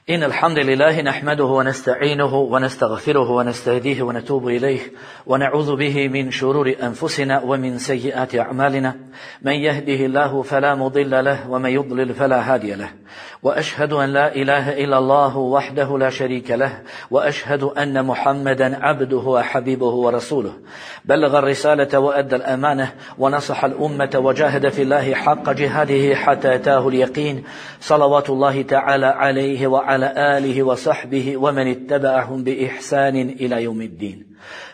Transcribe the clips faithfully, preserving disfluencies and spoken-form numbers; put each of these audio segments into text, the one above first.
إن الحمد لله نحمده ونستعينه ونستغفره ونستهديه ونتوب إليه ونعوذ به من شرور أنفسنا ومن سيئات أعمالنا من يهده الله فلا مضل له ومن يضلل فلا هادي له وأشهد أن لا إله إلا الله وحده لا شريك له وأشهد أن محمدا عبده وحبيبه ورسوله بلغ الرسالة وأدى الأمانة ونصح الأمة وجاهد في الله حق جهاده حتى أتاه اليقين صلوات الله تعالى عليه وعلى على آله وصحبه ومن اتبعهم بإحسان إلى يوم الدين.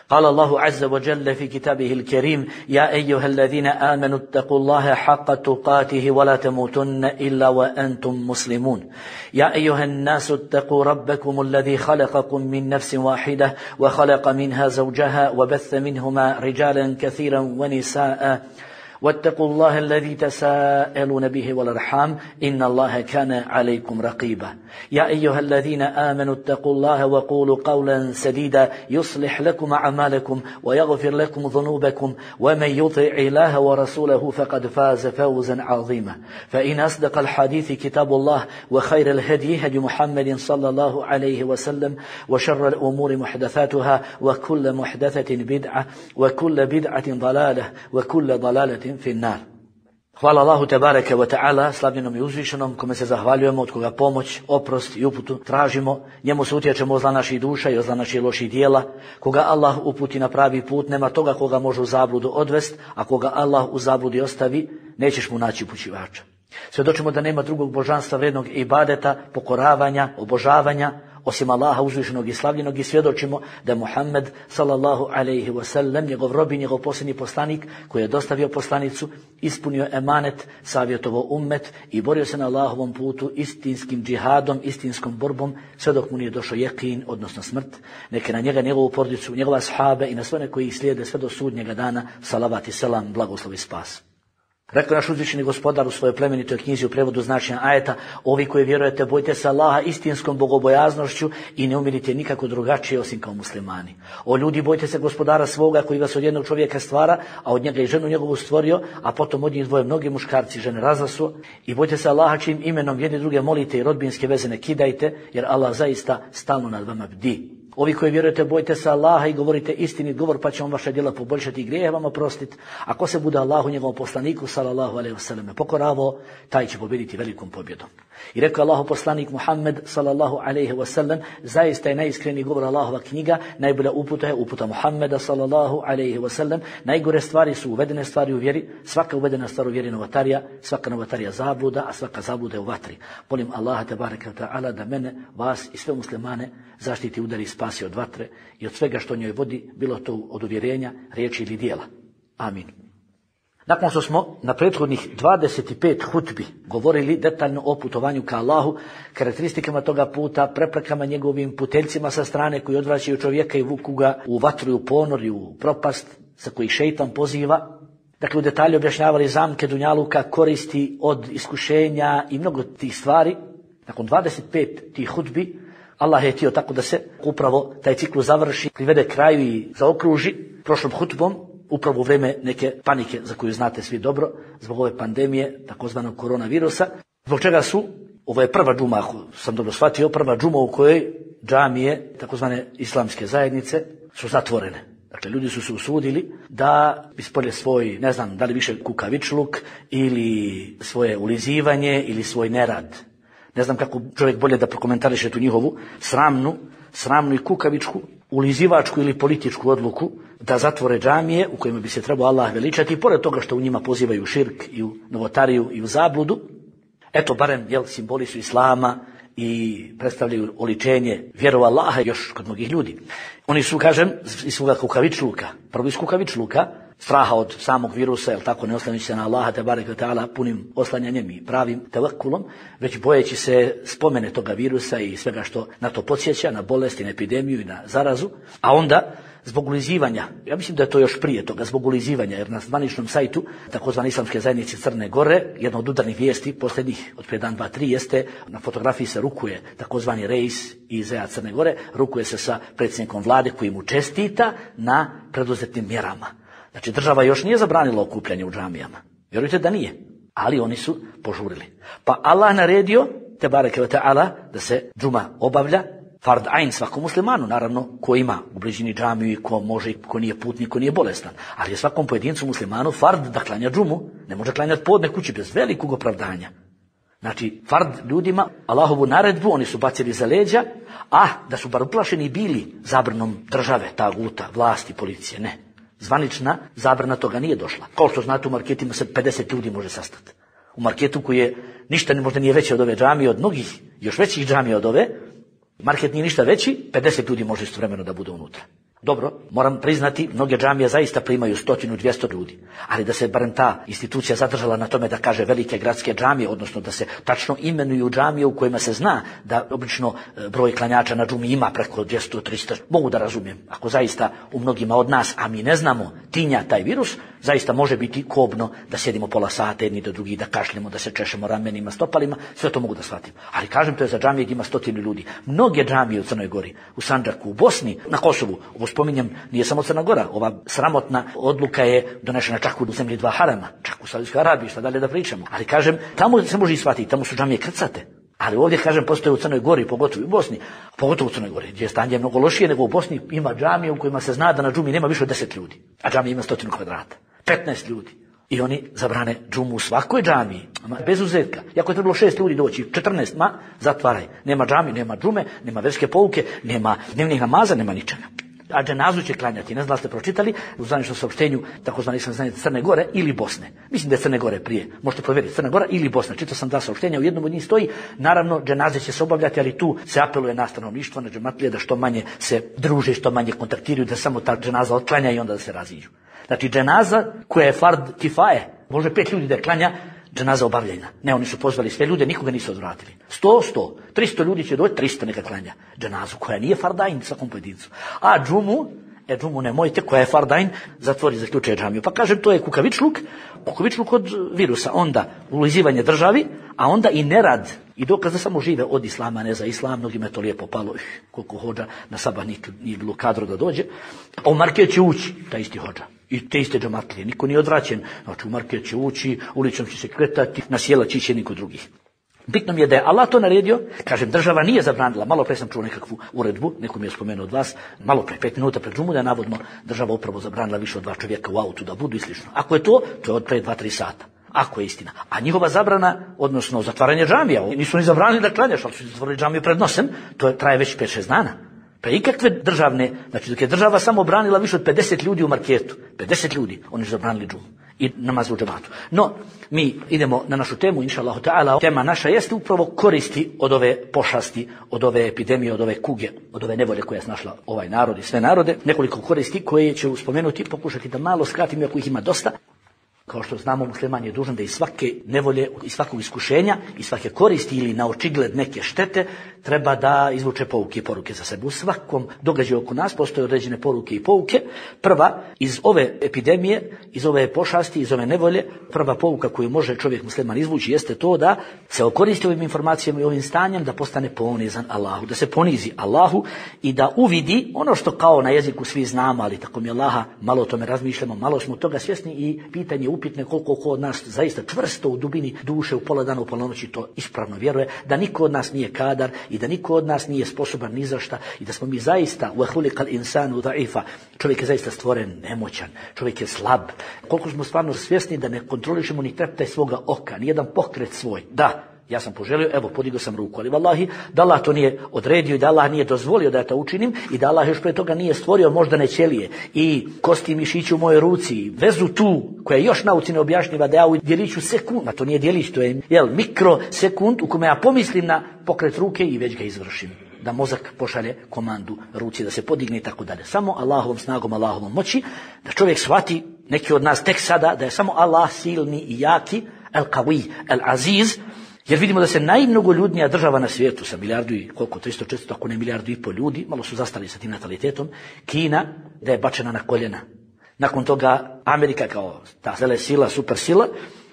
قال الله عز وجل في كتابه الكريم: يا أيها الذين آمنوا اتقوا الله حق تقاته ولا تموتن إلا وأنتم مسلمون. يا أيها الناس اتقوا ربكم الذي خلقكم من نفس واحدة وخلق منها زوجها وبث منهما رجالا كثيرا ونساء واتقوا الله الذي تساءلون به والأرحام إن الله كان عليكم رقيبا. يا أيها الذين آمنوا اتقوا الله وقولوا قولا سديدا يصلح لكم أعمالكم ويغفر لكم ذنوبكم ومن يطع الله ورسوله فقد فاز فوزا عظيما. فإن أصدق الحديث كتاب الله وخير الهدي هدي محمد صلى الله عليه وسلم وشر الأمور محدثاتها وكل محدثة بدعة وكل بدعة ضلالة وكل ضلالة في النار. Hvala Allahu tebareke ve ta'ala, slavljenom i uzvišenom, kome se zahvaljujemo, od koga pomoć, oprost i uputu tražimo. Njemu se utječemo od zla naših duša i od zla naših loših dijela. Koga Allah uputi na pravi put, nema toga koga može u zabludu odvest, a koga Allah u zabludi ostavi, nećeš mu naći upućivača. Svjedočimo da nema drugog božanstva vrednog ibadeta, pokoravanja, obožavanja, osim Allaha uzvišenog i slavljenog, i svjedočimo da je Muhammed sallallahu alejhi ve sellem njegov rob i njegov posljednji poslanik koji je dostavio poslanicu, ispunio emanet, savjetovao ummet i borio se na Allahovom putu istinskim džihadom, istinskom borbom, sve dok mu nije došao jekin, odnosno smrt. Neke na njega, njegovu porodicu, njegove ashabe i na sve one koji ih slijede sve do sudnjega dana, salavat i selam, blagoslov i spas. Rekao naš uzvišeni gospodar u svojoj plemenitoj knjizi u prevodu značenja ajeta: ovi koji vjerujete, bojte se Allaha istinskom bogobojaznošću i ne umirite nikako drugačije osim kao muslimani. O ljudi, bojte se gospodara svoga koji vas od jednog čovjeka stvara, a od njega i ženu njegovu stvorio, a potom od njih dvoje mnogi muškarci i žene razasuo. I bojte se Allaha čijim imenom jedni druge molite i rodbinske veze ne kidajte, jer Allah zaista stalno nad vama bdi. Ovi koji vjerujete, bojte se Allaha i govorite istinit govor, pa će on vaša djela poboljšati i grijehe vam oprostiti. Ako se bude Allahu njegovom poslaniku sallallahu alejhi ve selleme pokoravao, taj će pobijediti velikom pobjedom. I rekao Allahu poslanik Muhammed sallallahu alejhi ve sellem: zaista je najiskreniji govor Allahova knjiga, najbolja uputa je uputa Muhammeda sallallahu alejhi ve sellem. Najgore stvari su uvedene stvari u vjeri, svaka uvedena stvar u vjeri novotarija, svaka novotarija zabluda, a svaka zabluda je u vatri. Molim Allaha tebareke ve ta'ala da mene, vas i sve muslimane zaštiti, udari i spasi od vatre i od svega što njoj vodi, bilo to od uvjerenja, riječi ili dijela. Amin. Nakon što smo na prethodnih dvadeset pet hutbi govorili detaljno o putovanju ka Allahu, karakteristikama toga puta, preprekama njegovim puteljcima sa strane koji odvraćaju čovjeka i vuku ga u vatru i u ponor i u propast sa koji šejtan poziva, dakle u detalju objašnjavali zamke dunjaluka, koristi od iskušenja i mnogo tih stvari, nakon dvadeset pet tih hutbi Allah je htio tako da se upravo taj ciklus završi, privede kraju i zaokruži prošlom hutbom, upravo u vrijeme neke panike za koju znate svi dobro, zbog ove pandemije, takozvanog koronavirusa, zbog čega su, ovo je prva džuma, ako sam dobro shvatio, prva džuma u kojoj džamije, takozvane islamske zajednice, su zatvorene. Dakle, ljudi su se usudili da ispolje svoj, ne znam, da li više kukavičluk ili svoje ulizivanje ili svoj nerad. Ne znam kako čovjek bolje da prokomentariše tu njihovu sramnu, sramnu i kukavičku, ulizivačku ili političku odluku da zatvore džamije u kojima bi se trebao Allah veličati, i pored toga što u njima pozivaju širk i u novotariju i u zabludu. Eto, barem, jel, simboli su islama i predstavljaju oličenje vjeru Allaha još kod mnogih ljudi. Oni su, kažem, iz svoga kukavičluka, prvo iz kukavičluka, straha od samog virusa, jel tako, ne oslanjajući se na Allaha tebareke ve ta'ala punim oslanjanjem i pravim tevekkulom, već bojeći se spomene toga virusa i svega što na to podsjeća, na bolest i na epidemiju i na zarazu, a onda zbog ulizivanja, ja mislim da je to još prije toga, zbog ulizivanja, jer na zvaničnom sajtu takozvane islamske zajednice Crne Gore, jedna od udarnih vijesti posljednjih od prije dan, dva, tri, jeste na fotografiji se rukuje takozvani reis iz Crne Gore, rukuje se sa predsjednikom vlade koji mu čestita na preduzetim mjerama. Znači, država još nije zabranila okupljanje u džamijama. Vjerujte da nije. Ali oni su požurili. Pa Allah naredio te bareke ve taala da se džuma obavlja fard ain svakom muslimanu, naravno ko ima u bližini džamiju i ko može, ko nije putnik, ko nije bolestan, ali je svakom pojedincu muslimanu fard da klanja džumu, ne može klanjati podne kući bez velikog opravdanja. Znači, fard ljudima, Allahovu naredbu, oni su bacili za leđa, a da su bar uplašeni bili zabranom države, taguta, vlasti, policije, ne. Zvanična zabrana toga nije došla. Kao što znate, u marketima se pedeset ljudi može sastati. U marketu koji je ništa ne možda nije veće od ove džamije, od mnogih, još većih džamija od ove, market nije ništa veći, pedeset ljudi može istovremeno da bude unutra. Dobro, moram priznati, mnoge džamije zaista primaju stotinu, dvjesto ljudi, ali da se barem ta institucija zadržala na tome da kaže velike gradske džamije, odnosno da se tačno imenuju džamije u kojima se zna da obično broj klanjača na džumi ima preko dvjesto, tristo, mogu da razumijem. Ako zaista u mnogima od nas, a mi ne znamo, tinja taj virus, zaista može biti kobno da sjedimo pola sata jedni do drugih, da kašljemo, da se češemo ramenima, stopalima, sve to mogu da shvatim. Ali kažem, to je za džamije gdje ima stotinu ljudi. Mnoge džamije u Crnoj Gori, u Sandžaku, u Bosni, na Kosovu, ovo spominjem, nije samo Crna Gora, ova sramotna odluka je donešena čak u zemlji dva harama, čak u Saudijskoj Arabiji, šta dalje da pričamo. Ali kažem, tamo se može i shvatiti, tamo su džamije krcate. Ali ovdje, kažem, postoje u Crnoj Gori, pogotovo u Bosni, pogotovo u Crnoj Gori, gdje je stanje mnogo lošije nego u Bosni, ima džamije u kojima se zna da na džumi nema više od deset ljudi, a džamija ima stotinu kvadrata, petnaest ljudi. I oni zabrane džumu u svakoj džamiji, bez uzetka. Iako je trebalo šest ljudi doći, četrnaest, ma, zatvaraj. Nema džami, nema džume, nema verske pouke, nema dnevnih namaza, nema ničega. A dženazu će klanjati, ne znam da ste pročitali u zvaničnom saopštenju takozvani islamske Crne Gore ili Bosne. Mislim da je Crne Gore prije, možete provjeriti, Crna Gora ili Bosna. Čitao sam dva saopštenja, u jednom od njih stoji, naravno dženaze će se obavljati, ali tu se apeluje na stanovništvo, na džematlije, da što manje se druže, što manje kontaktiraju, da samo ta dženaza otklanja i onda da se raziđu. Znači dženaza koja je fard kifaje, može pet ljudi da je klanja, dženaza obavljena. Ne, oni su pozvali sve ljude, nikoga nisu odvratili. Sto, sto, tristo ljudi će doći, tristo neka klanja dženazu, koja nije fardajn svakom pojedincu. A džumu, e džumu nemojte, koja je fardajn, zatvori, zaključuje džamiju. Pa kažem, to je kukavičluk, kukavičluk od virusa, onda ulizivanje državi, a onda i nerad, i dokaz da samo žive od islama, ne za islam, mnogima je to lijepo palo, koliko hođa na sabah nije bilo kadro da dođe, a u market će ući, taj isti hođa. I te iste džematlije, niko nije odvraćen, znači u market će ući, ulicom će se kretati, na sjela će ići niko drugih. Bitno mi je da je Allah to naredio, kažem, država nije zabranila, malo pre sam čuo nekakvu uredbu, neko mi je spomenuo od vas, malo pre, pet minuta pred džumu, da je navodno država upravo zabranila više od dva čovjeka u autu da budu i slično. Ako je to, to je od pre dva tri sata. Ako je istina. A njihova zabrana, odnosno zatvaranje džamija, nisu ni zabranili da klanjaš, ali su zatvorili džamiju pred nosem, to je, traje već pet šest dana. Pa ikakve državne, znači dok je država samo branila više od pedeset ljudi u marketu, pedeset ljudi, oni su zabranili džumu i namaz u džematu. No, mi idemo na našu temu, inša Allahu ta'ala. Tema naša jeste upravo koristi od ove pošasti, od ove epidemije, od ove kuge, od ove nevolje koja je snašla ovaj narod i sve narode. Nekoliko koristi koje ću spomenuti, pokušati da malo skratim, ako ih ima dosta. Kao što znamo, musliman je dužan da iz svake nevolje, iz svakog iskušenja, iz svake koristi ili na očigled neke štete, treba da izvuče pouke i poruke za sebe. U svakom događaju oko nas postoje određene poruke i pouke. Prva, iz ove epidemije, iz ove pošasti, iz ove nevolje, prva pouka koju može čovjek musliman izvući jeste to da se okoristi ovim informacijama i ovim stanjem, da postane ponizan Allahu, da se ponizi Allahu i da uvidi ono što kao na jeziku svi znamo, ali tako mi Allaha, malo o tome razmišljamo, malo smo toga svjesni i pitanje upitne koliko ko od nas zaista čvrsto u dubini duše u pola dana, u pola noći to ispravno vjeruje, da niko od nas nije kadar i da niko od nas nije sposoban ni za šta i da smo mi zaista wa khuliqal insanu da'ifa. Čovjek je zaista stvoren nemoćan, čovjek je slab. Koliko smo stvarno svjesni da ne kontrolišemo ni treptaj svoga oka, ni jedan pokret svoj. Da, ja sam poželio, evo, podigao sam ruku, ali vallahi, da Allah to nije odredio i da Allah nije dozvolio da ja to učinim i da Allah još pre toga nije stvorio moždane ćelije i kosti i mišići u mojoj ruci, vezu tu, koja još nauci ne objašnjiva da ja u djeliću sekund, a to nije djelić, to je, jel, mikrosekund u kome ja pomislim na pokret ruke i već ga izvršim. Da mozak pošalje komandu ruci da se podigne i tako dalje. Samo Allahovom snagom, Allahovom moći, da čovjek shvati, neki od nas tek sada, da je samo Allah silni i jaki, el-Qawi, el-Aziz, jer vidimo da se najmnogoljudnija država na svijetu sa milijardu i koliko, tristo četiristo, ako ne milijardu i pol ljudi, malo su zastali sa tim natalitetom, Kina, da je bačena na koljena. Nakon toga Amerika kao ta vele sila, super sila,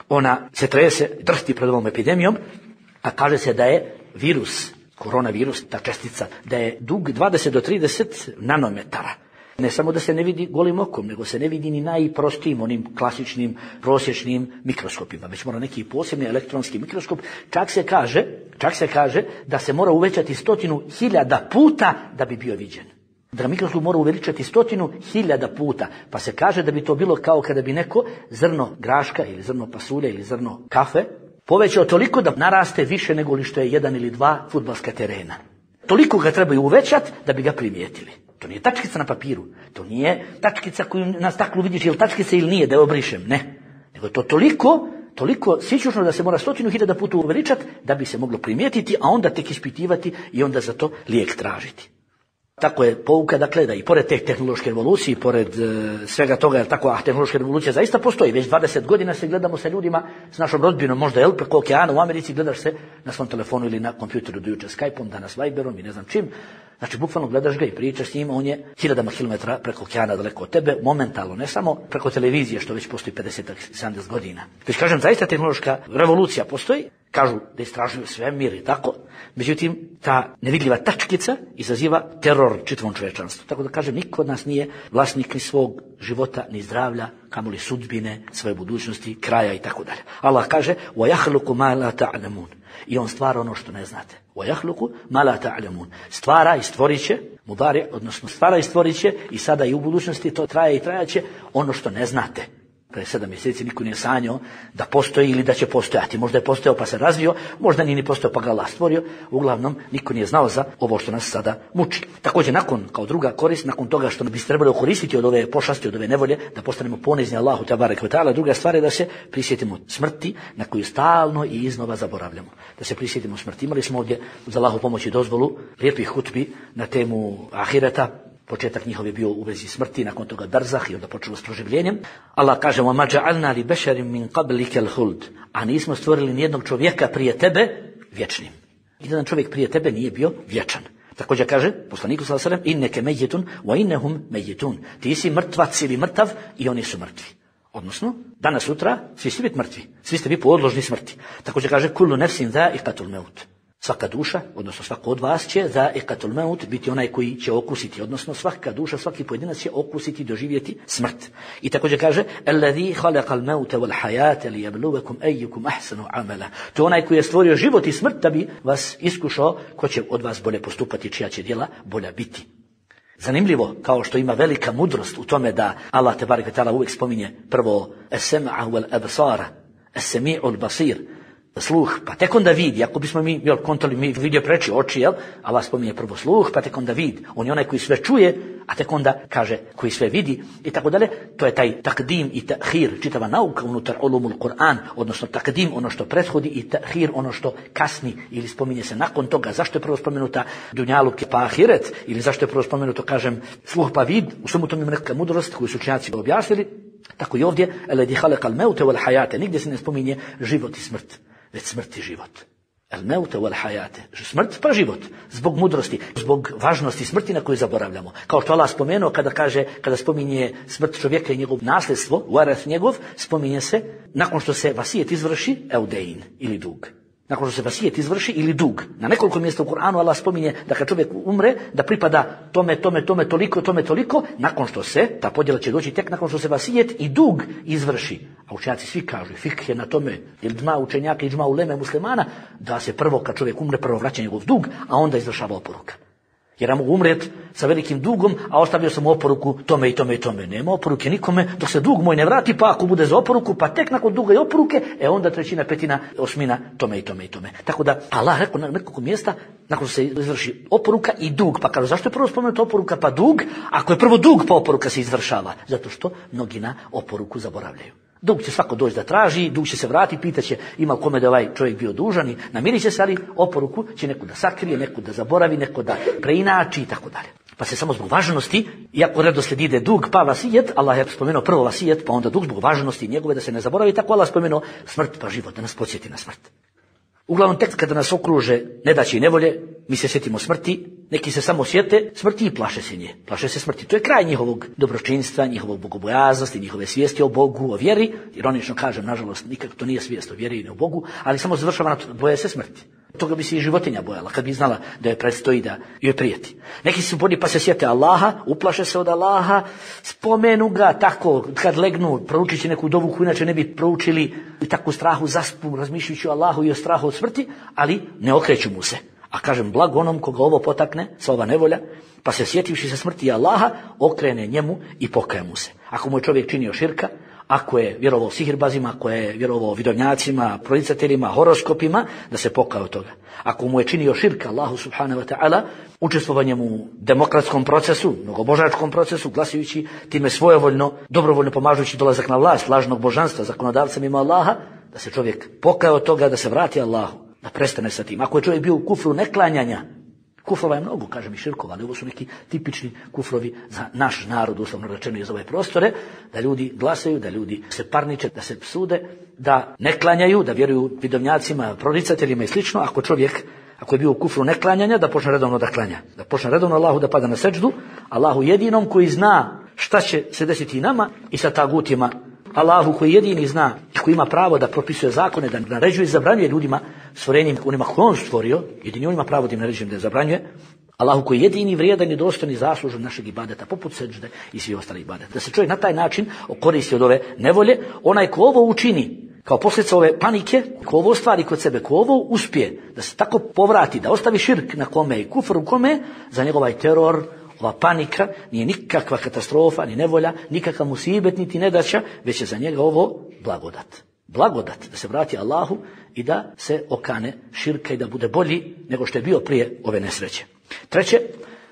ona se trese, drhti pred ovom epidemijom, a kaže se da je virus, koronavirus, ta čestica, da je dug dvadeset do trideset nanometara. Ne samo da se ne vidi golim okom, nego se ne vidi ni najprostijim, onim klasičnim, prosječnim mikroskopima, već mora neki posebni elektronski mikroskop. Čak se kaže, čak se kaže da se mora uvećati stotinu hiljada puta da bi bio viđen. Da mikroskop mora uveličati stotinu hiljada puta, pa se kaže da bi to bilo kao kada bi neko zrno graška ili zrno pasulja ili zrno kafe povećao toliko da naraste više nego li što je jedan ili dva fudbalska terena. Toliko ga trebaju uvećati da bi ga primijetili. To nije tačkica na papiru, to nije tačkica koju na staklu vidiš je li tačkica ili nije, da je obrišem, ne. Nego je to toliko, toliko sićušno da se mora stotinu hiljada puta uveličati da bi se moglo primijetiti, a onda tek ispitivati i onda za to lijek tražiti. Tako je pouka, dakle, da i pored te tehnološke revolucije, pored e, svega toga, jer tako, a tehnološka revolucija zaista postoji, već dvadeset godina se gledamo sa ljudima, s našom rodbinom, možda je preko okeana u Americi, gledaš se na svom telefonu ili na kompjuteru, do jučer Skype-om, danas Viberom i ne znam čim. Znači, bukvalno gledaš ga i pričaš s njim, on je hiljadama kilometara preko okeana daleko od tebe, momentalno, ne samo preko televizije, što već postoji pedeset do sedamdeset godina. Već kažem, zaista tehnološka revolucija postoji, kažu da istražuju svemir i tako, međutim, ta nevidljiva tačkica izaziva teror čitavom čovječanstvu. Tako da kažem, niko od nas nije vlasnik ni svog života, ni zdravlja, kamoli sudbine, svoje budućnosti, kraja i tako dalje. Allah kaže: وَيَخْلُقُ مَا لَا تَعْلَمُونَ. I on stvara ono što ne znate. وَيَخْلُقُ مَا لَا تَعْلَمُونَ. Stvara i stvorit će, mudari, odnosno stvara i stvorit će, i sada i u budućnosti to traje i trajaće, ono što ne znate. Pre sedam mjeseci niko nije sanjao da postoji ili da će postojati. Možda je postojao pa se razvio, možda nije ni postojao pa ga Allah stvorio. Uglavnom, niko nije znao za ovo što nas sada muči. Također, nakon, kao druga korist, nakon toga što bi se trebalo koristiti od ove pošasti, od ove nevolje, da postanemo ponizni Allahu tebareke ve taala, druga stvar je da se prisjetimo smrti na koju stalno i iznova zaboravljamo. Da se prisjetimo smrti. Imali smo ovdje uz Allahu pomoć i dozvolu lijepih hutbi na temu ahireta. Početak njihov je bio u vezi smrti, nakon toga barzah i onda počelo s proživljenjem. Allah kaže: وَمَا جَعَلْنَا لِبَشَرٍ مِنْ قَبْلِكَ الْخُلْدِ. A nismo stvorili nijednog čovjeka prije tebe vječnim. Jedan čovjek prije tebe nije bio vječan. Također kaže poslaniku sallallahu alejhi ve sellem: "Inneke mejitun wa innahum mejitun." Ti si mrtvac ili mrtav i oni su mrtvi. Odnosno, danas sutra svi ste biti mrtvi. Svi ste vi podložni smrti. Također kaže: "Kullu nafsin za'iqatul maut." Svaka duša, odnosno svako od vas će za'iqatul maut biti onaj koji će okusiti, odnosno svaka duša, svaki pojedinac će okusiti, doživjeti smrt. I također kaže: "Alladhi khalaqal mauta wal hayata liyabluwakum ayyukum ahsanu amala." To je onaj koji je stvorio život i smrt da bi vas iskušao ko će od vas bolje postupati, čija će djela bolja biti. Zanimljivo, kao što ima velika mudrost u tome da Allah tebareke ve taala uvijek spominje prvo as-sam'a wal absara, as-sami'ul basir, sluh, pa tek onda vidi. Ako bismo mi, jel, kontali mi vidio preči oči, jel, Allah spominje prvo sluh, pa tek onda vid. On je onaj koji sve čuje, a tek onda kaže koji sve vidi i tako dalje. To je taj takdim i tahir, čitava nauka unutar ulumul Kur'an, odnosno takdim ono što prethodi i tahir ono što kasni ili spominje se nakon toga. Zašto je prvo spomenuta dunjaluk pa ahiret, ili zašto je prvo spomenuto, kažem, sluh pa vid? U svemu tome ima neka mudrost koju su učenjaci objasnili. Tako i ovdje: "Alladhi khalaqal mauta wal hayata." Nigdje se ne spominje život i smrt, već smrt i život. El mauta wal hayate. Smrt pa život. Zbog mudrosti, zbog važnosti smrti na koju zaboravljamo. Kao što Allah spomenuo kada kaže, kada spominje smrt čovjeka i njegov nasljedstvo, warath njegov, spominje se nakon što se vasijet izvrši, eudein, ili dug. Nakon što se vasijet izvrši ili dug. Na nekoliko mjesta u Kur'anu Allah spominje da kad čovjek umre, da pripada tome, tome, tome, toliko, tome, toliko, nakon što se, ta podjela će doći tek nakon što se vasijet i dug izvrši. A učenjaci svi kažu, fik je na tome, ili dma učenjaka i džma uleme muslimana, da se prvo kad čovjek umre, prvo vraća njegov dug, a onda izvršava oporuka. Jer ja mogu umret sa velikim dugom, a ostavio sam oporuku tome i tome i tome. Nema oporuke nikome dok se dug moj ne vrati, pa ako bude za oporuku, pa tek nakon duga i oporuke, e onda trećina, petina, osmina, tome i tome i tome. Tako da Allah rekao na nekoliko mjesta, nakon što se izvrši oporuka i dug, pa kažu zašto je prvo spomenuta oporuka pa dug, ako je prvo dug pa oporuka se izvršava? Zato što mnogi na oporuku zaboravljaju. Dug će svako doći da traži, dug će se vrati, pitaće ima kome da ovaj čovjek bio dužan i namirit će se, ali oporuku će neko da sakrije, neko da zaboravi, neko da preinači i tako dalje. Pa se samo zbog važnosti, iako redoslijed ide dug pa vasijet, Allah je spomenuo prvo vasijet, pa onda dug zbog važnosti njegove da se ne zaboravi, tako Allah spomenuo smrt pa život, da nas podsjeti na smrt. Uglavnom, tek kada nas okruže nedaće i nevolje, mi se sjetimo smrti, neki se samo sjete smrti i plaše se nje. Plaše se smrti. To je kraj njihovog dobročinstva, njihovog bogobojaznosti, njihove svijesti o Bogu, o vjeri. Ironično kažem, nažalost, nikako to nije svijest o vjeri i o Bogu, ali samo završava na to, boje se smrti. Toga bi se i životinja bojala, kad bi znala da je predstoji da joj prijeti. Neki su bolji pa se sjete Allaha, uplaše se od Allaha, spomenu ga tako, kad legnu, proučit će neku dovu koju inače ne bi proučili i tako u strahu zaspu, razmišljajući o Allahu i o strahu od smrti, ali ne okreću mu se. A kažem, blago onom koga ovo potakne, sva ova nevolja, pa se sjetivši se smrti Allaha, okrene njemu i pokaje mu se. Ako mu je čovjek činio širka, ako je vjerovao sihirbazima, ako je vjerovao vidovnjacima, pronicateljima, horoskopima, da se pokaje od toga. Ako mu je činio širka Allahu subhanahu wa ta'ala, učestvovanjem u demokratskom procesu, mnogobožačkom procesu, glasujući time svojevoljno, dobrovoljno pomažući dolazak na vlast lažnog božanstva, zakonodavca mimo Allaha, da se čovjek pokaje od toga, da se vrati Allahu, da prestane sa tim. Ako je čovjek bio u kufru neklanjanja, kufrova je mnogo, kažem i širkova, ali ovo su neki tipični kufrovi za naš narod, uslovno rečeno iz ove prostore, da ljudi glasaju, da ljudi se parniče, da se psude, da ne klanjaju, da vjeruju vidovnjacima, proricateljima i slično. Ako čovjek, ako je bio u kufru neklanjanja, da počne redovno da klanja. Da počne redovno Allahu da pada na seđdu, Allahu jedinom koji zna šta će se desiti i nama i sa tagutima. Allahu koji jedini zna i koji ima pravo da propisuje zakone, da naređuje i zabranjuje ljudima, stvorenjem onima koje on stvorio, jedini on ima pravo da im naređuje da je zabranjuje. Allahu koji jedini vrijedan i dostojni i zaslužan našeg ibadeta, poput seđde i svi ostali ibadeta. Da se čovjek na taj način okoristi od ove nevolje, onaj ko ovo učini kao posljedica ove panike, ko ovo ostvari kod sebe, ko ovo uspije, da se tako povrati, da ostavi širk na kome i kufr u kome, za njegov ovaj teror, ova panika nije nikakva katastrofa, ni nevolja, nikakav musibet, niti nedaća, već je za njega ovo blagodat. Blagodat da se vrati Allahu i da se okane širka i da bude bolji nego što je bio prije ove nesreće. Treće,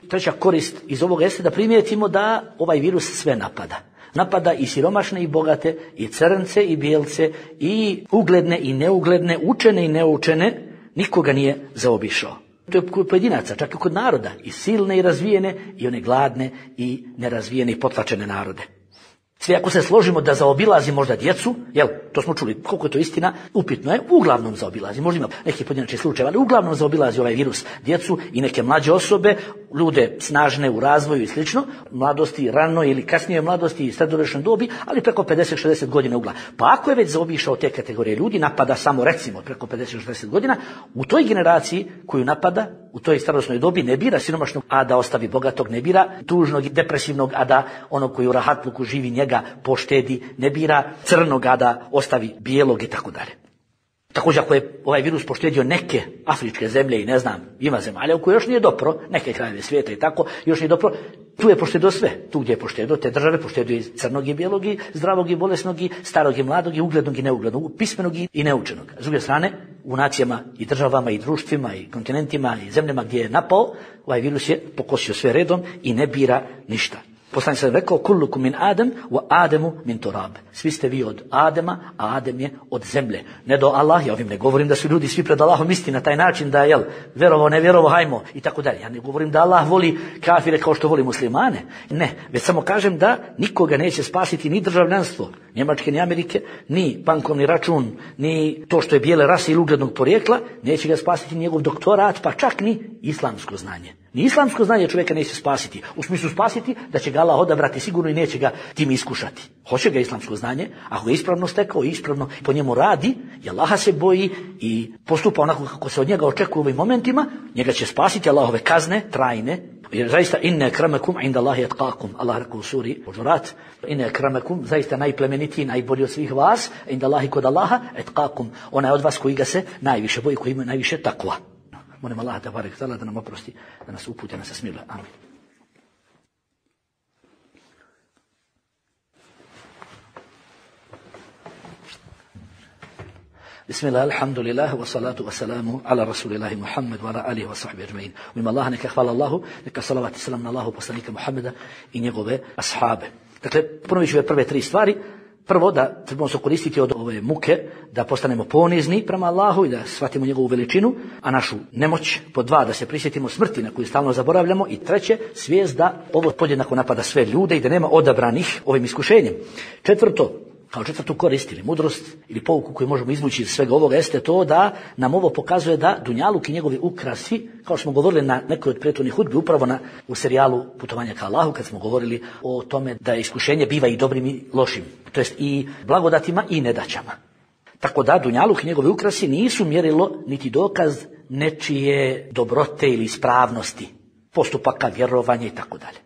treća korist iz ovoga jeste da primijetimo da ovaj virus sve napada. Napada i siromašne i bogate, i crnce i bijelce, i ugledne i neugledne, učene i neučene, nikoga nije zaobišao. To je kod pojedinaca, čak i kod naroda, i silne i razvijene, i one gladne i nerazvijene i potlačene narode. Sve ako se složimo da zaobilazi možda djecu, jel, to smo čuli, koliko je to istina, upitno je, uglavnom zaobilazi, možda ima neki pojedinačni slučaj, ali uglavnom zaobilazi ovaj virus djecu i neke mlađe osobe, ljude snažne u razvoju i slično, mladosti, rano ili kasnije mladosti i srednjoročnoj dobi, ali preko pedeset šezdeset godina ugla. Pa ako je već zaobišao te kategorije ljudi, napada samo recimo preko pedeset šezdeset godina, u toj generaciji koju napada, u toj starosnoj dobi ne bira siromašnog, a da ostavi bogatog, ne bira tužnog i depresivnog, a da onog koji u rahatluku živi njega poštedi, ne bira crnog, a da ostavi bijelog i tako dalje. Također ako je ovaj virus poštedio neke afričke zemlje i ne znam, ima zemalja u kojoj još nije dopro, neke krajeve svijeta i tako, još nije dopro, tu je poštedio sve. Tu gdje je poštedio te države, poštedio i crnog i bijelog i zdravog i bolesnog i starog i mladog i uglednog i neuglednog, pismenog i neučenog. S druge strane, u nacijama i državama i društvima i kontinentima i zemljama gdje je napao, ovaj virus je pokosio sve redom i ne bira ništa. Poslanik sam rekao, kullukum min Adem, wa Ademu min turab. Svi ste vi od Adema, a Adem je od zemlje. Ne do Allah, ja ovim ne govorim da su ljudi svi pred Allahom isti na taj način da, jel, vjerovo, ne vjerovo, hajmo i tako dalje. Ja ne govorim da Allah voli kafire kao što voli muslimane. Ne, već samo kažem da nikoga neće spasiti ni državljanstvo Njemačke, ni Amerike, ni bankovni račun, ni to što je bijele rase ili uglednog porijekla, neće ga spasiti njegov doktorat, pa čak ni islamsko znanje. Ni islamsko znanje čovjeka neće spasiti. U smislu spasiti da će ga Allah odabrati sigurno i neće ga tim iskušati. Hoće ga islamsko znanje, ako ga ispravno stekao i ispravno po njemu radi, i Allaha se boji i postupa onako kako se od njega očekuje u ovim momentima, njega će spasiti Allahove kazne, trajne. Jer zaista inne akramakum inda Allahi atqakum. Allah rekao u suri Huđurat, inne akramakum, zaista najplemenitiji, najbolji od svih vas, inda Allahi kod Allaha atqakum. Ona je od vas koji ga se najviše boji, koji ima najviše takva. Molim Allaha tebarek ta'ala da nam oprosti, da nas uputi, da nas smiluje. Amin. Bismillah, alhamdulillah, wa salatu wa salamu ala rasulillahi Muhammad wa ala alihi wa sahbihi ajma'in. U ime Allaha neka hvala Allahu, neka salavat i salam na Allahu poslanika Muhammeda i njegove ashabe. Dakle, ponovit ću ove prve tri stvari. Prvo, da trebamo se koristiti od ove muke, da postanemo ponizni prema Allahu i da shvatimo njegovu veličinu, a našu nemoć. Po dva, da se prisjetimo smrti na koju stalno zaboravljamo. I treće, svijest da ovo podjednako napada sve ljude i da nema odabranih ovim iskušenjem. Četvrto, kao četvrtu korist ili mudrost ili pouku koju možemo izvući iz svega ovoga jeste to da nam ovo pokazuje da dunjaluk i njegovi ukrasi, kao što smo govorili na nekoj od prethodnih hudbi, upravo na, u serijalu Putovanja ka Allahu, kad smo govorili o tome da iskušenje biva i dobrim i lošim, to jest i blagodatima i nedaćama. Tako da dunjaluk i njegovi ukrasi nisu mjerilo niti dokaz nečije dobrote ili ispravnosti, postupaka, vjerovanja i tako dalje.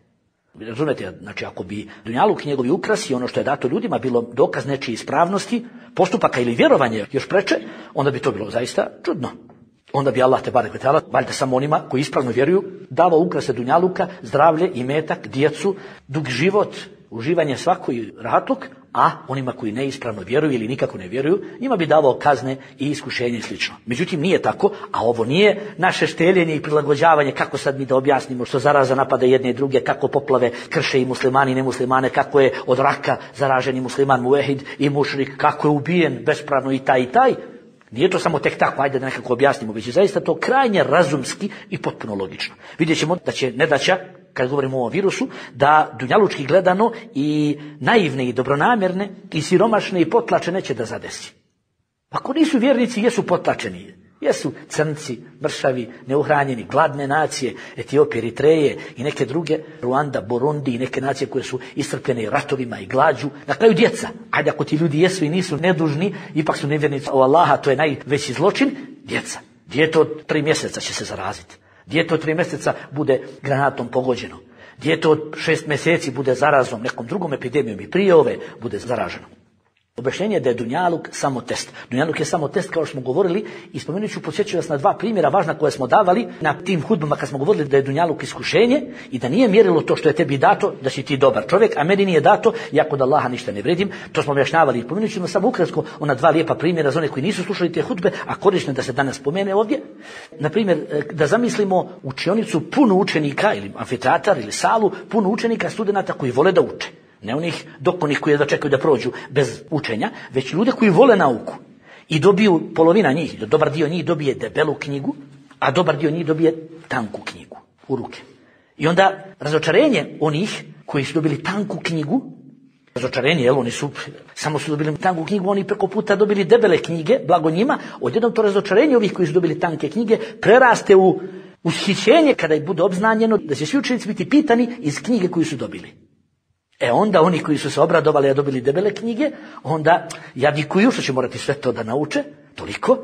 Razumete, znači ako bi dunjaluk i njegovi ukrasi, ono što je dato ljudima, bilo dokaz nečije ispravnosti, postupaka ili vjerovanja još preče, onda bi to bilo zaista čudno. Onda bi Allah te barek ve taala valjda samo onima koji ispravno vjeruju davao ukrase dunjaluka, zdravlje, imetak, djecu, dug život, uživanje svakoj rahatluk, a onima koji neispravno vjeruju ili nikako ne vjeruju, njima bi davao kazne i iskušenje i slično. Međutim, nije tako, a ovo nije naše šteljenje i prilagođavanje, kako sad mi da objasnimo što zaraza napada jedne i druge, kako poplave krše i muslimani i nemuslimane, kako je od raka zaraženi musliman muvehid i mušrik, kako je ubijen bespravno i taj i taj. Nije to samo tek tako, ajde da nekako objasnimo, već je zaista to krajnje razumski i potpuno logično. Vidjet ćemo da će nedaća, kad govorimo o ovom virusu, da dunjalučki gledano i naivne i dobronamjerne i siromašne i potlačene će da zadesi. Ako nisu vjernici, jesu potlačeni. Jesu crnci, mršavi, neuhranjeni, gladne nacije, Etiopije, Eritreje i neke druge, Ruanda, Burundi i neke nacije koje su iscrpljene ratovima i glađu. Na kraju djeca. Ajde, ako ti ljudi jesu i nisu nedužni, ipak su nevjernici o Allaha, to je najveći zločin. Djeca. Dijete od tri mjeseca će se zaraziti. Dijete od tri mjeseca bude granatom pogođeno. Dijete od šest mjeseci bude zarazom nekom drugom epidemijom i prije ove bude zaraženo. Objašnjenje je da je dunjaluk samo test. Dunjaluk je samo test, kao što smo govorili, i spomenut ću, podsjećam vas na dva primjera važna koje smo davali na tim hudbama kad smo govorili da je dunjaluk iskušenje i da nije mjerilo to što je tebi dato da si ti dobar čovjek, a meni nije dato, ja kod Allaha ništa ne vredim. To smo objašnjavali i spomenut ćemo samo ukratko ona dva lijepa primjera za one koji nisu slušali te hudbe, a korisno da se danas spomene ovdje. Na primjer, da zamislimo učionicu puno učenika ili amfiteatar ili salu puno učenika, studenata koji vole da uče. Ne onih dokonih koji da čekaju da prođu bez učenja, već ljude koji vole nauku. I dobiju, polovina njih, dobar dio njih dobije debelu knjigu, a dobar dio njih dobije tanku knjigu u ruke. I onda razočarenje onih koji su dobili tanku knjigu, razočarenje, jel, oni su, samo su dobili tanku knjigu, oni preko puta dobili debele knjige, blago njima, odjednom to razočarenje ovih koji su dobili tanke knjige preraste u ushićenje kada ih bude obznanjeno da će svi učenici biti pitani iz knjige koju su dobili. E onda oni koji su se obradovali a dobili debele knjige, onda jadikuju što će morati sve to da nauče, toliko.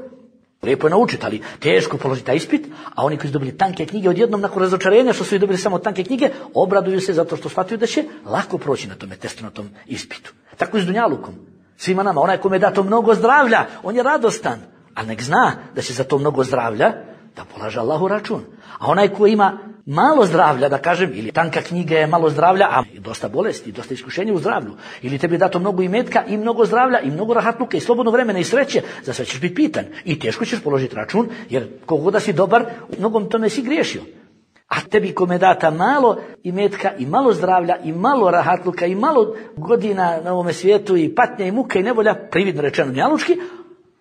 Lijepo je naučiti, ali teško položiti taj ispit, a oni koji su dobili tanke knjige odjednom nakon razočarenja što su dobili samo tanke knjige, obraduju se zato što shvataju da će lako proći na tome testu, na tom ispitu. Tako i s dunjalukom. Svima nama, onaj kome je dato mnogo zdravlja, on je radostan, ali nek zna da će za to mnogo zdravlja da polaže Allahu račun. A onaj koji ima malo zdravlja, da kažem, ili tanka knjiga je malo zdravlja, a dosta bolesti, dosta iskušenja u zdravlju, ili tebi je dato mnogo imetka i mnogo zdravlja i mnogo rahatluka i slobodno vremena i sreće, za sve ćeš biti pitan i teško ćeš položiti račun, jer koliko da si dobar, u mnogom tome si griješio. A tebi kome je data malo imetka i malo zdravlja i malo rahatluka i malo godina na ovome svijetu i patnja i muka i nevolja, prividno rečeno njalučki,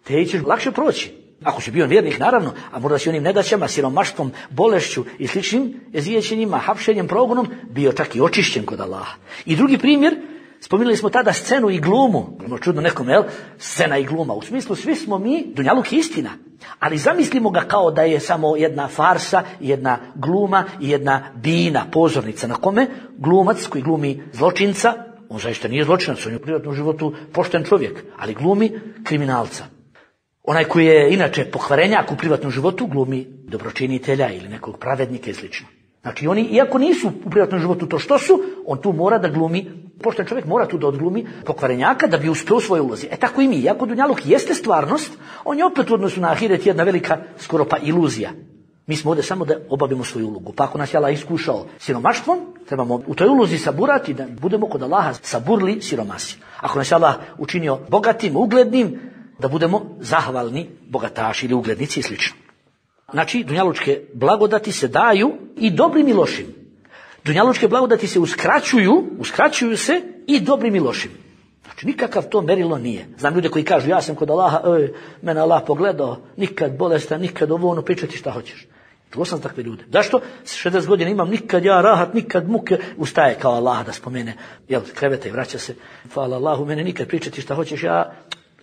te ćeš lakše proći. Ako si bio vjernik, naravno, a možda si onim nedaćama, siromaštvom, bolešću i sličnim eziječenjima, hapšenjem, progonom, bio čak i očišćen kod Allaha. I drugi primjer, spominjali smo tada scenu i glumu. Čudno nekom, jel? Scena i gluma. U smislu, svi smo mi, dunjaluk je istina. Ali zamislimo ga kao da je samo jedna farsa, jedna gluma i jedna bina, pozornica na kome glumac koji glumi zločinca, on zaista nije zločinac, on je u privatnom životu pošten čovjek, ali glumi kriminalca. Onaj koji je inače pokvarenjak u privatnom životu glumi dobročinitelja ili nekog pravednika i slično. Znači oni, iako nisu u privatnom životu to što su, on tu mora da glumi, pošten čovjek mora tu da odglumi pokvarenjaka da bi uspio u svojoj ulozi. E tako i mi, iako dunjaluk jeste stvarnost, on je opet u odnosu na ahiret jedna velika, skoro pa iluzija. Mi smo ovdje samo da obavimo svoju ulogu. Pa ako nas je Allah iskušao siromaštvom, trebamo u toj ulozi saburati da budemo kod Allaha saburli siromasi. Ako nas je Allah učinio bogatim, uglednim, da budemo zahvalni bogataši ili uglednici i slično. Znači, dunjalučke blagodati se daju i dobrim i lošim. Dunjalučke blagodati se uskraćuju, uskraćuju se i dobrim i lošim. Znači, nikakav to merilo nije. Znam ljude koji kažu, ja sam kod Allaha, ej, mene Allah pogledao, nikad bolestan, nikad ovo ono, pričati šta hoćeš. Čuo sam takve ljude. Zašto? šezdeset godina imam, nikad ja rahat, nikad muke, ustaje kao Allah da spomene, jel, kreveta i vraća se. Hvala Allahu, mene nikad pričati šta hoćeš, ja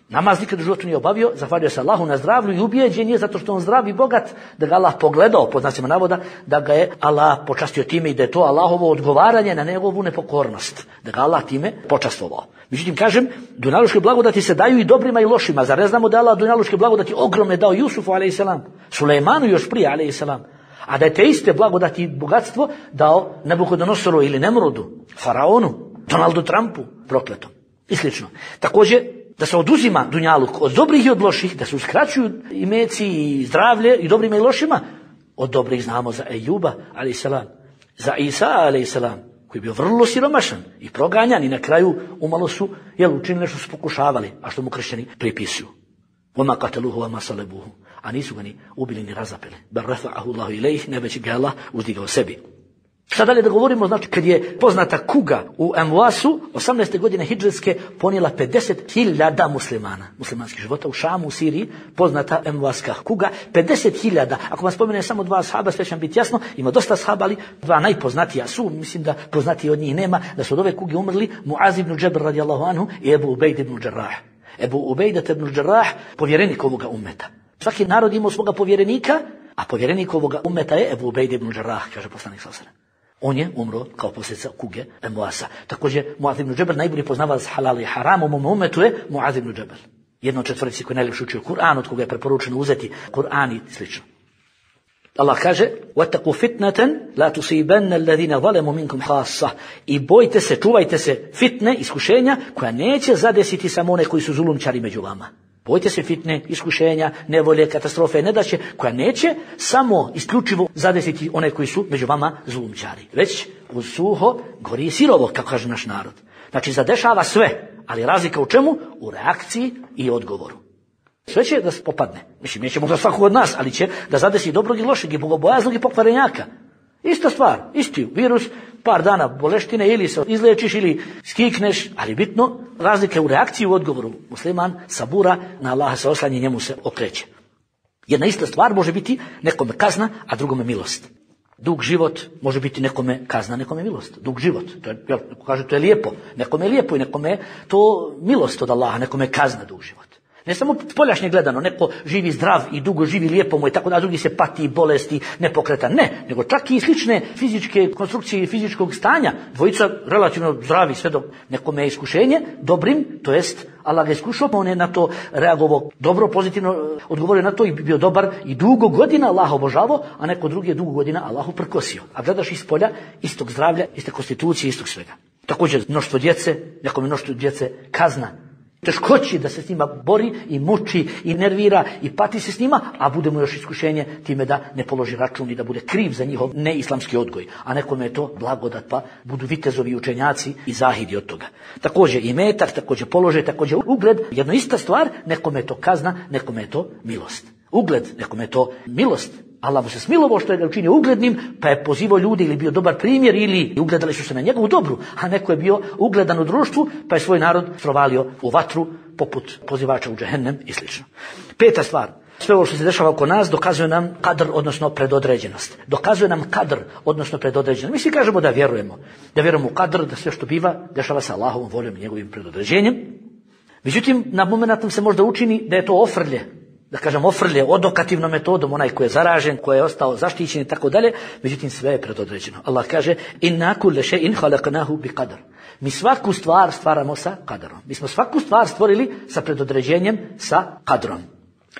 Namaz nikad u životu nije obavio, zahvalio se Allahu na zdravlju i ubijeđen je zato što on zdrav i bogat, da ga Allah pogledao, pod znacima navoda, da ga je Allah počastio time i da je to Allahovo odgovaranje na njegovu nepokornost. Da ga Allah time počastovao. Međutim, kažem, dunjaluške blagodati se daju i dobrima i lošima. Zar ne znamo da Allah dunjaluške blagodati ogromne dao Jusufu alejselam, Sulejmanu još prije alejselam, a da je te iste blagodati i bogatstvo dao Nabukodonosoru ili Nemrudu, faraonu, Donaldu Trumpu, prokletom i slično. Također, da se oduzima dunjaluk od dobrih i od loših, da se uskraćuju imeci i zdravlje i dobrima i lošima. Od dobrih znamo za Ejuba alejselam, za Isa alejselam, koji je bio vrlo siromašan i proganjan i na kraju umalo su jel, učinili što su pokušavali, a što mu kršćani pripisuju. Oma kateluhu, oma salebuhu. A nisu ga ni ubili ni razapeli. Bar rafa'ahu Allahu ilejh, ne već ga Allah uzdigao sebi. Šta dalje da govorimo, znači kad je poznata kuga u Emvasu, osamnaeste godine hidžretske, ponijela pedeset hiljada muslimana, muslimanskih života u Šamu, u Siriji, poznata Emvaska kuga, pedeset hiljada. Ako vam spomenem samo dva ashaba, sve će vam biti jasno, ima dosta ashaba, ali dva najpoznatija su, mislim da poznatiji od njih nema, da su od ove kuge umrli Muaz ibn Džabr radijallahu anhu i Ebu Ubejd ibn Džarrah. Ebu Ubejdat ibn Džarrah, povjerenik ovoga ummeta. Svaki narod imao svoga povjerenika, a povjerenik ovoga ummeta je Ebu Ubejd ibn Džarrah, kaže poslanik sallallahu alejhi ve sellem. On je umro kao posljedica kuge Emvasa. Također Muaz ibn Džabr, najbolji poznavalac halala i harama u mom ummetu je Muaz ibn Džabr. Jedno od četvorici koji najljepše učio Kur'an, od koga je preporučeno uzeti Kur'an i slično. Allah kaže: "Wattaqu fitnatan la tusibanna alladhina zalamu minkum khassa." I bojte se, čuvajte se fitne, iskušenja koja neće zadesiti samo one koji su zulumčari među vama. Bojte se fitne, iskušenja, nevolje, katastrofe, nedaće, koja neće samo isključivo zadesiti one koji su među vama zulumčari. Već uz suho gori sirovo, kako kaže naš narod. Znači, zadešava sve, ali razlika u čemu? U reakciji i odgovoru. Sve će da se popadne. Mislim, neće možda svakog od nas, ali će da zadesi dobrog i lošeg i bogobojaznog i pokvarenjaka. Ista stvar, isti virus, par dana boleštine, ili se izlečiš ili skikneš, ali bitno razlika u reakciji u odgovoru. Musliman sabura, na Allaha se oslanja, njemu se okreće. Jedna ista stvar može biti nekome kazna, a drugome milost. Dug život može biti nekome kazna, nekome milost. Dug život, to je, jel, kaže, to je lijepo. Nekome je lijepo i nekome je to milost od Allaha, nekome je kazna dug život. Ne samo spoljašnje gledano, neko živi zdrav i dugo živi, lijepo mu je tako da, a drugi se pati, bolesti, nepokretan. Ne, nego čak i slične fizičke konstrukcije i fizičkog stanja. Dvojica relativno zdravi, sve dok nekome je iskušenje dobrim, to jest Allah ga iskušao, on je na to reagovao dobro, pozitivno odgovorio na to i bio dobar i dugo godina Allah obožavao, a neko drugi je dugo godina Allahu prkosio. A gledaš iz polja istog zdravlja, iste konstitucije, istog svega. Također mnoštvo djece, nekome mnoštvo djece kazna. Teškoći da se s njima bori i muči i nervira i pati se s njima, a bude mu još iskušenje time da ne položi račun i da bude kriv za njihov neislamski odgoj. A nekome je to blagodat, pa budu vitezovi učenjaci i zahidi od toga. Također i metak, također položaj, također ugled. Jedno ista stvar, nekome je to kazna, nekome je to milost. Ugled, nekome je to milost. Allah mu se smilovao što je ga učinio uglednim, pa je pozivao ljudi ili bio dobar primjer ili ugledali su se na njegovu dobru, a neko je bio ugledan u društvu, pa je svoj narod strovalio u vatru poput pozivača u džehennem i slično. Peta stvar, sve ovo što se dešava oko nas dokazuje nam kadr, odnosno predodređenost. Dokazuje nam kadr, odnosno predodređenost. Mi svi kažemo da vjerujemo, da vjerujemo u kadr, da sve što biva dešava sa Allahovom voljom i njegovim predodređenjem. Međutim, na momenat nam se možda učini da je to ofrlje, da kažem ofrlje odokativnom metodom, onaj koji je zaražen, koji je ostao zaštićen i tako dalje, međutim sve je predodređeno. Allah kaže: "Inna kulla shay'in khalaqnahu biqadar." Mi svaku stvar stvaramo sa kadarom. Mi smo svaku stvar stvorili sa predodređenjem, sa kadrom.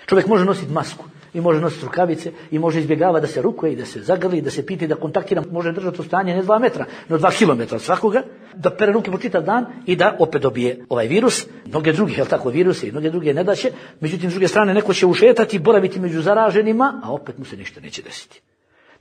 Čovjek može nositi masku i može nositi rukavice i može izbjegavati da se rukuje i da se zagrli, da se piti, da kontaktira, može držati u stanje ne dva metra, no dva kilometra od svakoga, da pere ruke po čitav dan i da opet dobije ovaj virus. Mnoge druge, jel tako, viruse i mnoge druge nedaće, međutim s druge strane neko će ušetati, boraviti među zaraženima, a opet mu se ništa neće desiti.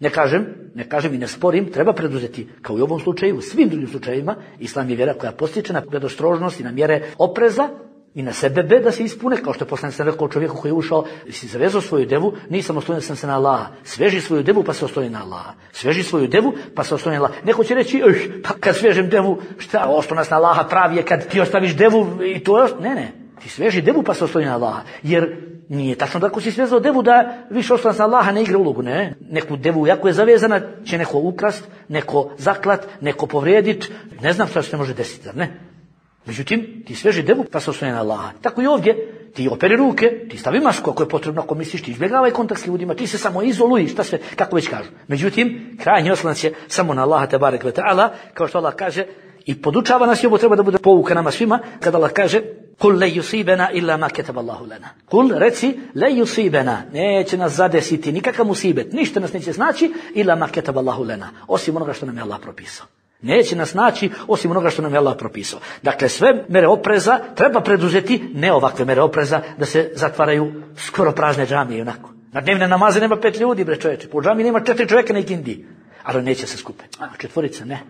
Ne kažem, ne kažem i ne sporim, treba preduzeti, kao i u ovom slučaju, u svim drugim slučajevima, islam je vjera koja postiče na predostrožnost i na mjere opreza, i na sebebe da se ispune, kao što je poslanik sam rekao čovjeku koji je ušao, si zavezao svoju devu, nisam oslonio sam se na Allaha. Sveži svoju devu pa se osloni na Allaha. Sveži svoju devu pa se osloni na Allaha. Neko će reći, pa kad svežem devu, šta, oslonac na Allaha pravi je kad ti ostaviš devu i to, ne, ne, ti sveži devu pa se osloni na Allaha. Jer nije tačno da ako si svezao devu da više oslonac na Allaha ne igra ulogu, ne. Neku devu, jako je zavezana, će neko ukrast, neko zaklat, neko povrijedit, ne znam šta se može desiti, ne. Međutim, ti sveži devu pa se osloni na Allaha. Tako i ovdje, ti operi ruke, ti stavi masku ako je potrebno, ako misliš, ti izbjegavaj kontakt s ljudima, ti se samo izoluj, šta sve, kako već kažu. Međutim, krajnji oslonac je samo na Allaha tebarek ve ta'ala, kao što Allah kaže, i podučava nas i ovo treba da bude pouka nama svima, kada Allah kaže Kul le yusibena illa ma ketaba Allahu lana. Kul, reci, le yusibena, neće nas zadesiti nikakav musibet, ništa nas neće znači, illa ma ketaba Allahu lana, osim onoga što nam je Allah propisao. Neće nas naći osim onoga što nam je Allah propisao. Dakle, sve mere opreza treba preduzeti, ne ovakve mere opreza, da se zatvaraju skoro prazne džamije onako. Na dnevne namaze nema pet ljudi, bre čoveče, po džamiji nema četiri čovjeka na ikindi, ali neće se skupe. A četvorica ne.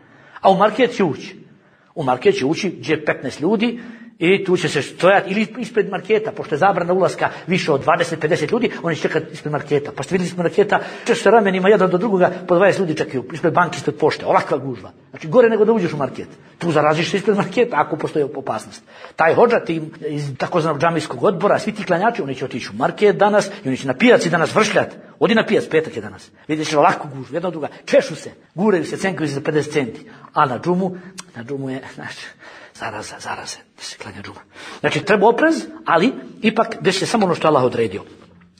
A u market će ući. U market će ući gdje petnaest ljudi i tu će se stojati ili ispred marketa, pošto je zabrana ulaska više od dvadeset do pedeset ljudi, oni će čekati ispred marketa. Pa ste vidjeli ispred marketa, češ se ramenima jedan do drugoga, po dvadeset ljudi čekaju ispred banke, ispred pošte, ovakva gužva. Znači gore nego da uđeš u market. Tu zaraziš se ispred marketa ako postoji opasnost. Taj hodža ti iz takozvanog džamijskog odbora, svi ti klanjači, oni će otići u market danas i oni će na pijaci danas vršljati. Odi na pijac, petak je danas. Vidiš ovakvu gužvu, jedna od druga, češu se, guraju se, cenkaju se za pedeset centi. A na džumu, na džumu je, znači, zaraza, zaraze, da se klanja džuma. Znači, treba oprez, ali ipak desi se samo ono što Allah odredio.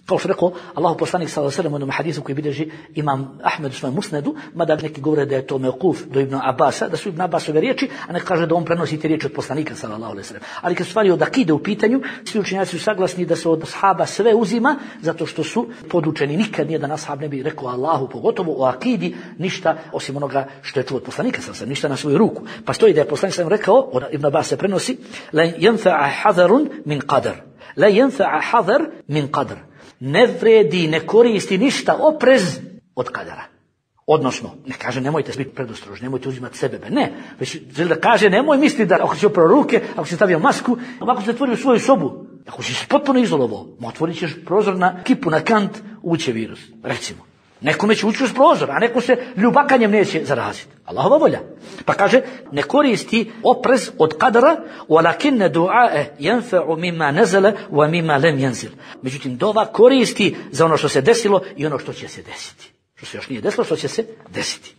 Kao što rekao, Allahu poslanik sallallahu alejhi ve sellem u jednom hadisu koji bilježi Imam Ahmed u svojem musnedu, mada neki govore da je to mevkuf do Ibn Abasa, da su Ibn Abasove riječi, a ne kaže da on prenosi te riječi od poslanika sallallahu alejhi ve sellem. Ali kad stvari od akide u pitanju, svi učenjaci su saglasni da se od ashaba sve uzima, zato što su podučeni. Nikad nijedan ashab ne bi rekao Allahu, pogotovo o akidi, ništa osim onoga što je čuo od poslanika sallallahu alejhi ve sellem, ništa na svoju ruku. Pa stoji da je poslanik sallallahu alejhi ve sellem rekao, od Ibn Abasa se prenosi, la yanfa'a hadarun min qadar. La yanfa'a hadar min qadar. Ne vredi, ne koristi ništa oprez od kadara. Odnosno, ne kaže nemojte biti predostrožni, nemojte uzimati sebe, ne. Već želi da kaže nemoj misliti da ako si oprao ruke, ako si stavio masku, ako si otvorio svoju sobu, ako si se potpuno izolovao, otvorit ćeš prozor na kipu, na kant, uće virus, recimo. Nekome će ući uz prozor, a neko se ljubakanjem neće zaraziti. Allahova volja. Pa kaže, ne koristi oprez od kadara, walakinne du'a'e yanfa'u mimma nazala wa mimma lam yanzil. Međutim, dova koristi za ono što se desilo i ono što će se desiti. Što se još nije desilo, što će se desiti.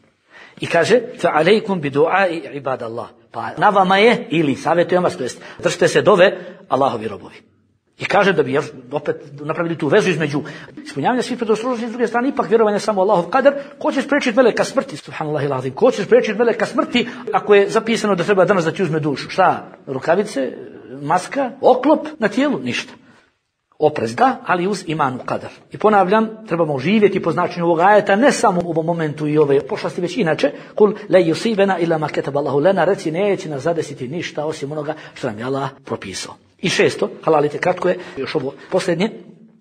I kaže, fa alejkum bi du'a'i ibadallah. Pa na vama je, ili savjetujem vas, to jest, držite se dove Allahovi robovi. I kaže da bi još opet napravili tu vezu između ispunjavanja svih predostrožnosti, s druge strane ipak vjerovanje samo Allahov kadar. Ko će spriječiti meleka smrti? Subhanallah ilazim. Ko će spriječiti meleka smrti ako je zapisano da treba danas da ti uzme dušu? Šta? Rukavice, maska, oklop na tijelu? Ništa. Oprez da, ali uz iman u kadar. I ponavljam, trebamo živjeti po značenju ovog ajeta, ne samo u ovom momentu i ove pošasti, već inače. Kul la yusibena illa ma kataba Allahu lana, reci neće nas zadesiti ništa osim onoga što nam je Allah propisao. I šesto, halalite, kratko je, još ovo posljednje.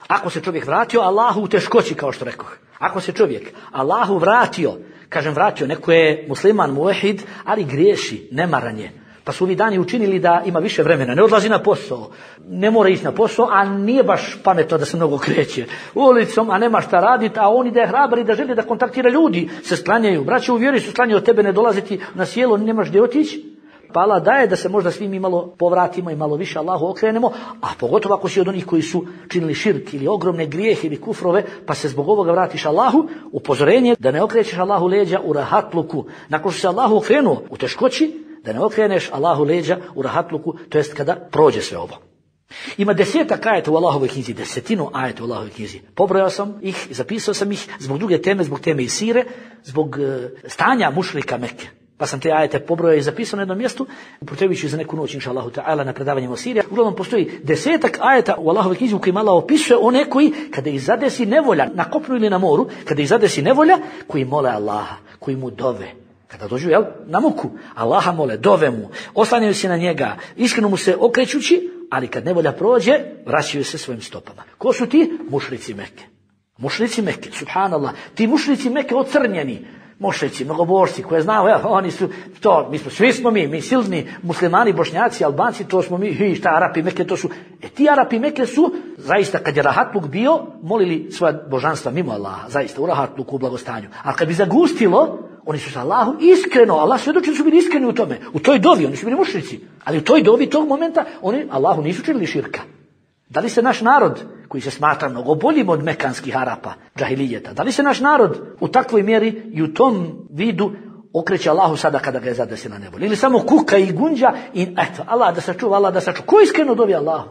Ako se čovjek vratio Allahu u teškoći, kao što rekoh. Ako se čovjek Allahu vratio, kažem vratio, neko je musliman, muahid, ali griješi, nemaran je. Pa su ovi dani učinili da ima više vremena, ne odlazi na posao, ne mora ići na posao, a nije baš pametno da se mnogo kreće ulicom, a nema šta raditi, a oni da je hrabar i da želi da kontaktira ljudi, se sklanjaju. Braće u vjeri su sklanjaju od tebe, ne dolaziti na sjelo, nemaš gdje otići. Pa Allah daje da se možda svi mi malo povratimo i malo više Allahu okrenemo, a pogotovo ako si od onih koji su činili širk ili ogromne grijehe ili kufrove, pa se zbog ovoga vratiš Allahu, upozorenje da ne okrećeš Allahu leđa u rahatluku. Nakon što se Allahu okrenuo u teškoći, da ne okreneš Allahu leđa u rahatluku, to jest kada prođe sve ovo. Ima desetak ajeta u Allahovoj knjizi, desetinu ajeta u Allahovoj knjizi. Pobrojao sam ih, zapisao sam ih zbog druge teme, zbog teme i sire, zbog uh, stanja mušrika Mekke. Pa sam te ajete pobrojao i zapisao na jednom mjestu, upotrebiću za neku noć, inša Allahu ta'ala, na predavanjem o Siriji. Uglavnom postoji desetak ajeta u Allahovoj knjizi u kojima Allah opisuje one koji, kada ih zadesi nevolja, na kopnu ili na moru, kada ih zadesi nevolja, koji mole Allaha, koji mu dove. Kada dođu, jel, na muku, Allaha mole, dove mu, oslanjaju se na njega, iskreno mu se okrećući, ali kad nevolja prođe, vraćaju se svojim stopama. Ko su ti? Mušrici Mekke. Mušrici Mekke, subhanallah. Ti mušrici Mekke ocrnjeni. Mošrici, mnogobožci, koje znao, ja, oni su, to, mi smo, svi smo mi, mi silni muslimani, bošnjaci, albanci, to smo mi, hi, šta, Arapi Mekke, to su, e ti Arapi Mekke su, zaista, kad je rahatluk bio, molili svoja božanstva mimo Allaha, zaista, u rahatluku, u blagostanju. A kad bi zagustilo, oni su sa Allahom iskreno, Allah svjedoči da su bili iskreni u tome, u toj dovi, oni su bili mušrici, ali u toj dovi, tog momenta, oni Allahu nisu činili širka. Da li se naš narod, koji se smatra mnogo boljim od mekanskih Arapa, džahilijeta, da li se naš narod u takvoj mjeri i u tom vidu okreće Allahu sada kada ga je zadesila nevolja? Ili samo kuka i gunđa i eto, Allah da sačuva, Allah da sačuva. Ko iskreno dovi Allahu?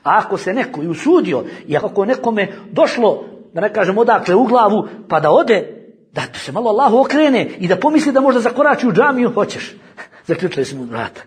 A ako se neko i usudio, i ako nekome došlo, da ne kažem odakle u glavu, pa da ode, da se malo Allahu okrene i da pomisli da možda zakorači u džamiju, hoćeš. Zaključili smo vrata.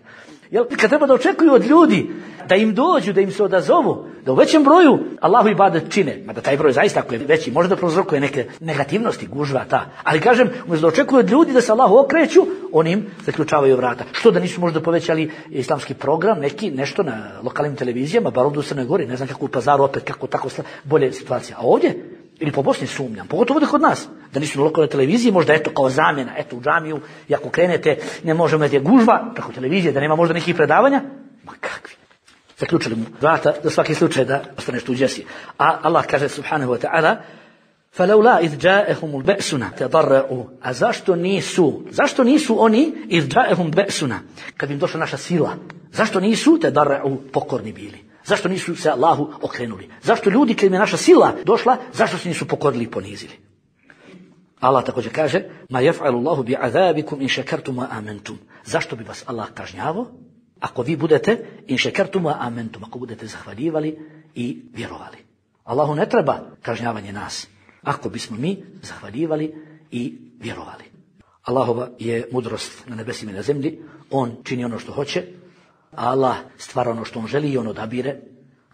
Jel, kad treba da očekuju od ljudi da im dođu, da im se odazovu, da u većem broju Allahu ibadet čine, mada taj broj zaista ako je veći, može da prouzrokuje neke negativnosti, gužva ta. Ali kažem, umjesto da očekuju od ljudi da se Allahu okreću, oni im zaključavaju vrata. Što da nisu možda povećali islamski program, neki nešto na lokalnim televizijama, bar ovdje u Crnoj Gori, ne znam kako u Pazaru opet, kako tako bolje situacija. A ovdje, ili po Bosni sumnjam, pogotovo ovdje kod nas, da nisu na lokalnoj televiziji, možda eto kao zamjena, eto u džamiju, i ako krenete, ne možemo da je gužva, preko televizije, da nema možda nekih predavanja, ma kakvi. Zaključili mu vrata, za svaki slučaj da ostaneš tu gdje si. A Allah kaže subhanahu wa ta'ala, فَلَوْلَا إِذْ جَاءَهُمُ الْبَأْسُنَا تَضَرَّعُوا. A zašto nisu, zašto nisu oni إِذْ جَاءَهُمْ بَأْسُنَا, kad im došla naša sila, zašto nisu تَضَرَّعُوا pokorni bili? Zašto nisu se Allahu okrenuli? Zašto ljudi, kad im je naša sila došla, zašto se nisu pokorili i ponizili? Allah također kaže, ma yaf'alu Allahu bi'adabikum in shakartum wa amantum. Zašto bi vas Allah kažnjavao ako vi budete in shakartum wa amantum, ako budete zahvaljivali i vjerovali? Allahu ne treba kažnjavanje nas, ako bismo mi zahvaljivali i vjerovali. Allahova je mudrost na nebesima i na zemlji, on čini ono što hoće, a Allah stvara ono što on želi i on odabire,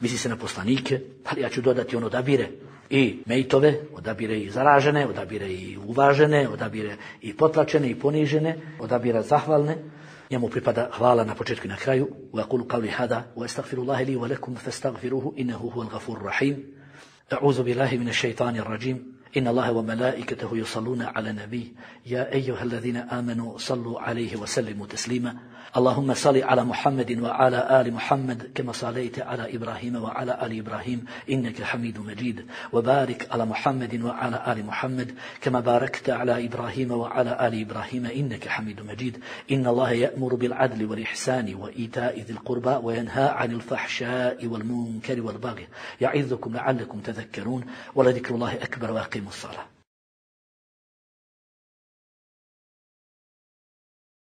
misli se na poslanike, ali ja ću dodati on odabire i mejtove, odabire i zaražene, odabire i uvažene, odabire i potlačene i ponižene, odabira zahvalne. Njemu pripada hvala na početku i na kraju. Wa aqulu qawli hada wa astaghfirullaha li wa lakum fastaghfiruhu innahu huwal ghafurur rahim. A'udhu billahi minash shaitanir rajim. إن الله وملائكته يصلون على النبي يا أيها الذين آمنوا صلوا عليه وسلموا تسليما اللهم صل على محمد وعلى آل محمد كما صليت على إبراهيم وعلى آل إبراهيم إنك حميد مجيد وبارك على محمد وعلى آل محمد كما باركت على إبراهيم وعلى آل إبراهيم إنك حميد مجيد إن الله يأمر بالعدل والإحسان وإيتاء ذي القربى وينهى عن الفحشاء والمنكر والبغي يعظكم لعلكم تذكرون ولذكر الله أكبر واقيموا الصلاة